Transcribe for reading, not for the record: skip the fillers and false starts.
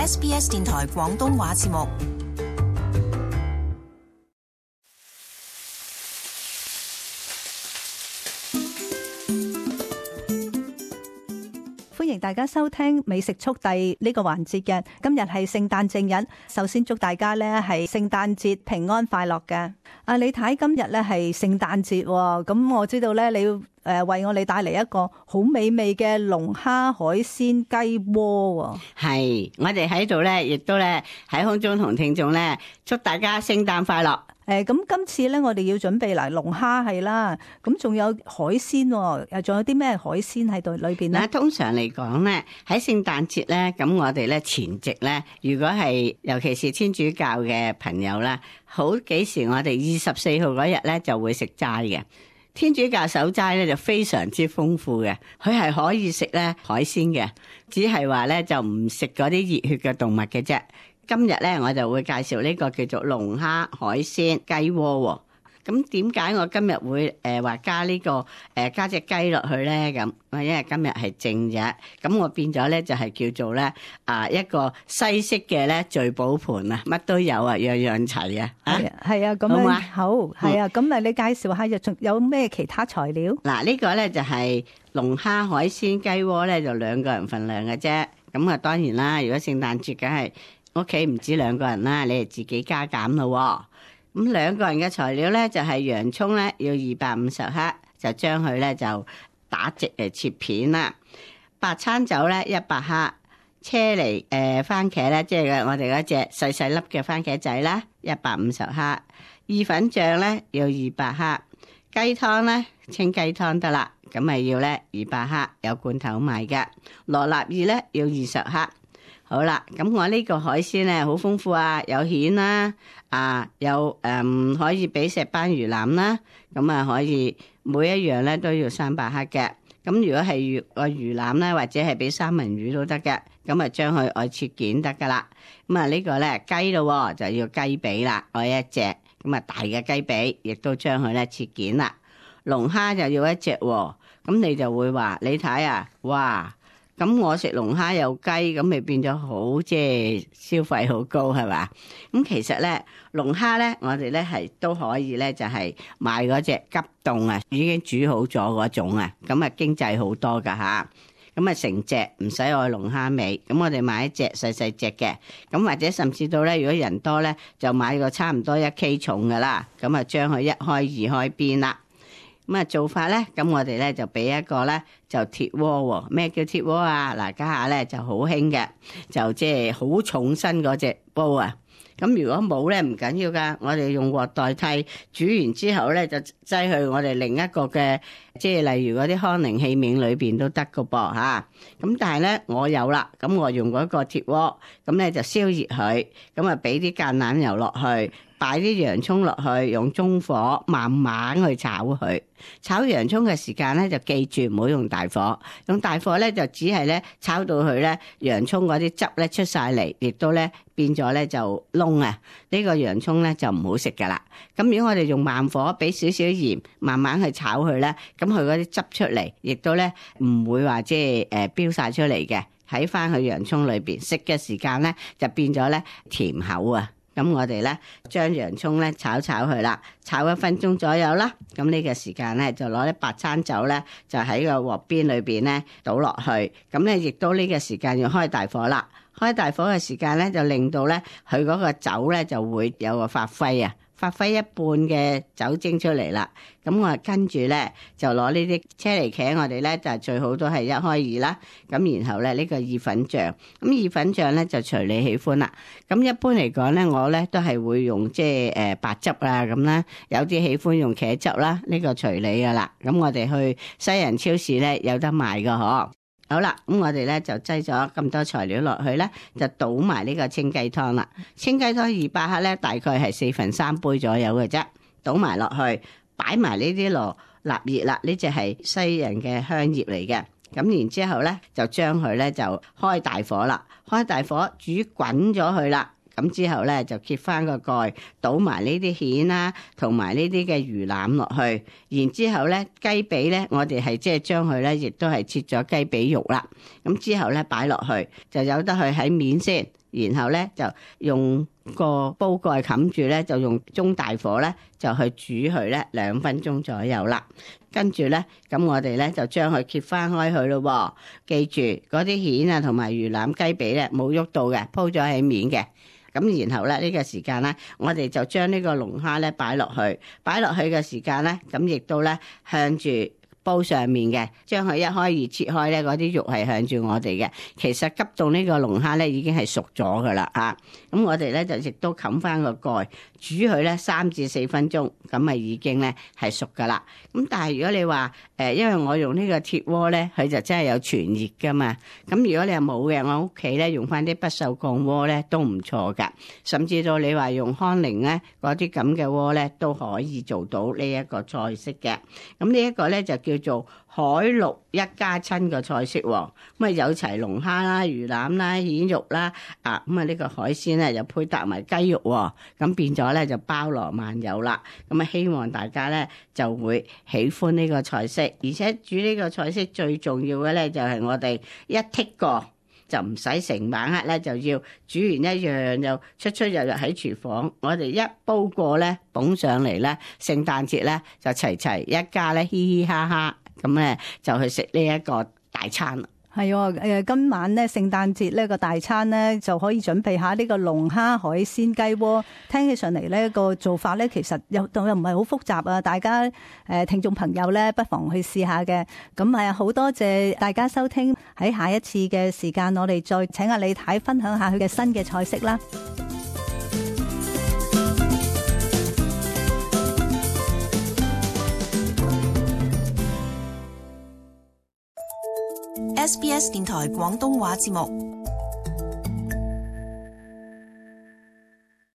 SBS 電台廣東話節目。歡迎大家收聽美食速遞呢個環節嘅，今日係聖誕正日，首先祝大家呢係聖誕節平安快樂嘅。李太今日呢係聖誕節，咁我知道呢你要為我哋帶嚟一個好美味嘅龍蝦海鮮雞鍋。係，我哋喺度呢亦都呢喺空中同聽眾呢祝大家聖誕快樂。咁今次咧，我哋要準備嚟龍蝦係啦，咁仲有海鮮，又仲有啲咩海鮮喺度裏邊咧？通常嚟講咧，喺聖誕節咧，咁我哋咧前夕咧，如果係尤其是天主教嘅朋友啦，好幾時我哋24號嗰日咧就會食齋嘅。天主教守齋咧就非常之豐富嘅，佢係可以食咧海鮮嘅，只係話咧就唔食嗰啲熱血嘅動物嘅啫。今日咧，我就會介紹呢個叫做龍蝦海鮮雞鍋。咁點解我今日會話加呢個加隻雞落去咧？咁因為今日係正日，咁我變咗咧就係叫做咧一個西式嘅咧聚寶盤啊，乜都有啊，樣樣齊啊。係啊，咁樣好係啊。咁你介紹下，仲有咩其他材料？嗱，呢個咧就係龍蝦海鮮雞鍋咧，就2個人份量嘅啫。咁啊，當然啦，如果聖誕節梗係屋企唔止2個人啦，你哋自己加減咯。咁2個人嘅材料咧就係洋蔥咧要250克，就將佢咧就打直嚟切片啦。白餐酒咧100克，車厘番茄咧即係我哋嗰隻細細粒嘅番茄仔啦150克，意粉醬咧要200克，雞湯咧清雞湯得啦，咁咪要咧200克，有罐頭賣嘅。羅勒葉咧要20克。好啦，咁我呢個海鮮咧好豐富啊，有蜆啦，有可以俾石斑魚腩啦，咁啊可以每一樣咧都要300克嘅。咁如果係魚腩咧，或者係俾三文魚都得嘅，咁啊將佢愛切件得噶啦。咁啊呢個咧雞咯，就要雞髀啦，愛一隻，咁啊大嘅雞髀，亦都將佢咧切件啦。龍蝦就要一隻，咁你就會話你睇啊，哇！咁我食龍蝦有雞，咁咪變咗好即係消費好高係嘛？咁其實咧龍蝦咧，我哋咧係都可以咧，就係買嗰隻急凍啊，已經煮好咗嗰種啊，咁啊經濟好多噶吓。咁啊成隻唔使愛龍蝦尾，咁我哋買一隻細細隻嘅，咁或者甚至到咧，如果人多咧，就買個差唔多1K 重噶啦，咁啊將佢一開二開邊啦。咁啊做法咧，咁我哋咧就俾一個咧就鐵鍋喎。咩叫鐵鍋啊？嗱，家下咧就好興嘅，就即係好重身嗰隻煲啊。咁如果冇咧唔緊要噶，我哋用鑊代替，煮完之後咧就擠去我哋另一個嘅，即係例如嗰啲康寧器皿裏邊都得噶噃吓。咁但係咧我有啦，咁我用嗰個鐵鍋，咁咧就燒熱佢，咁啊俾啲橄欖油落去。擺啲洋葱落去，用中火慢慢去炒佢。炒洋葱嘅時間咧，就記住唔好用大火。用大火咧，就只係咧炒到佢咧洋葱嗰啲汁咧出晒嚟，亦都咧變咗咧就燶啊！呢個洋葱咧就唔好食噶啦。咁如果我哋用慢火，俾少少鹽，慢慢去炒佢咧，咁佢嗰啲汁出嚟，亦都咧唔會話即係飆晒出嚟嘅。喺翻去洋葱裏邊食嘅時間咧，就變咗咧甜口啊！咁我哋咧將洋葱咧炒佢啦，炒1分鐘左右啦。咁呢個時間咧就攞啲白餐酒咧，就喺個鑊邊裏邊咧倒落去。咁咧亦都呢個時間要開大火啦。開大火嘅時間咧就令到咧佢嗰個酒咧就會有個發揮啊。發揮一半嘅酒精出嚟啦，咁我跟住咧就攞呢啲車厘茄，我哋咧就最好都係1開2啦，咁然後咧呢個意粉醬，咁意粉醬咧就隨你喜歡啦。咁一般嚟講咧，我咧都係會用即係白汁啊咁啦，有啲喜歡用茄汁啦，呢個隨你噶啦。咁我哋去西人超市咧有得賣噶嗬。好啦，咁我哋咧就擠咗咁多材料落去咧，就倒埋呢個清雞湯啦。清雞湯200克咧，大概係3/4杯左右嘅啫。倒埋落去，擺埋呢啲羅勒葉啦，呢隻係西人嘅香葉嚟嘅。咁然之後咧，就將佢咧就開大火啦，開大火煮滾咗佢啦。咁之後咧就揭翻個蓋，倒埋呢啲蜆啦，同埋呢啲嘅魚腩落去。然之後咧雞髀咧，我哋係即係將佢咧，亦都係切咗雞髀肉啦。咁之後咧擺落去，就由得佢喺面先。然後咧就用個煲蓋冚住咧，就用中大火咧就去煮佢咧2分鐘左右啦。跟住咧，咁我哋咧就將佢揭翻開佢咯。記住嗰啲蜆啊同埋魚腩雞髀咧冇喐到嘅，鋪咗喺面嘅。咁然後咧呢個時間咧，我哋就將呢個龍蝦咧擺落去嘅時間咧，咁亦都咧向住煲上面嘅，將佢一開二切開咧，嗰啲肉係向住我哋嘅。其實急凍呢個龍蝦咧已經係熟咗噶啦嚇，咁我哋咧就亦都冚翻個蓋，煮佢咧3至4分鐘，咁咪已經咧係熟噶啦。咁但係如果你話因為我用呢個鐵鍋咧，佢就真係有傳熱噶嘛。咁如果你係冇嘅，我屋企咧用翻啲不鏽鋼鍋咧都唔錯噶。甚至到你話用康寧咧嗰啲咁嘅鍋咧都可以做到呢一個菜式嘅。咁呢一個咧就叫做海陸一家親嘅菜式喎。咁啊有齊龍蝦啦、魚腩啦、蜆肉啦，咁啊呢個海鮮咧就配搭埋雞肉喎。咁變咗咧就包羅萬有啦。咁啊希望大家咧就會喜歡呢個菜式，而且煮呢個菜式最重要嘅咧就係我哋一剔過就唔使成晚黑咧就要煮完一樣就出入入喺廚房，我哋一煲過咧捧上嚟咧，聖誕節咧就齊齊一家咧嘻嘻哈哈咁咧就去食呢一個大餐啦。係喎，今晚咧聖誕節呢個大餐咧就可以準備下呢個龍蝦海鮮雞鍋。聽起上嚟呢個做法咧其實又唔係好複雜啊！大家聽眾朋友咧不妨去試下嘅。咁好多謝大家收聽，喺下一次嘅時間我哋再請阿李太分享下佢嘅新嘅菜式啦。SBS 電台廣東話節目。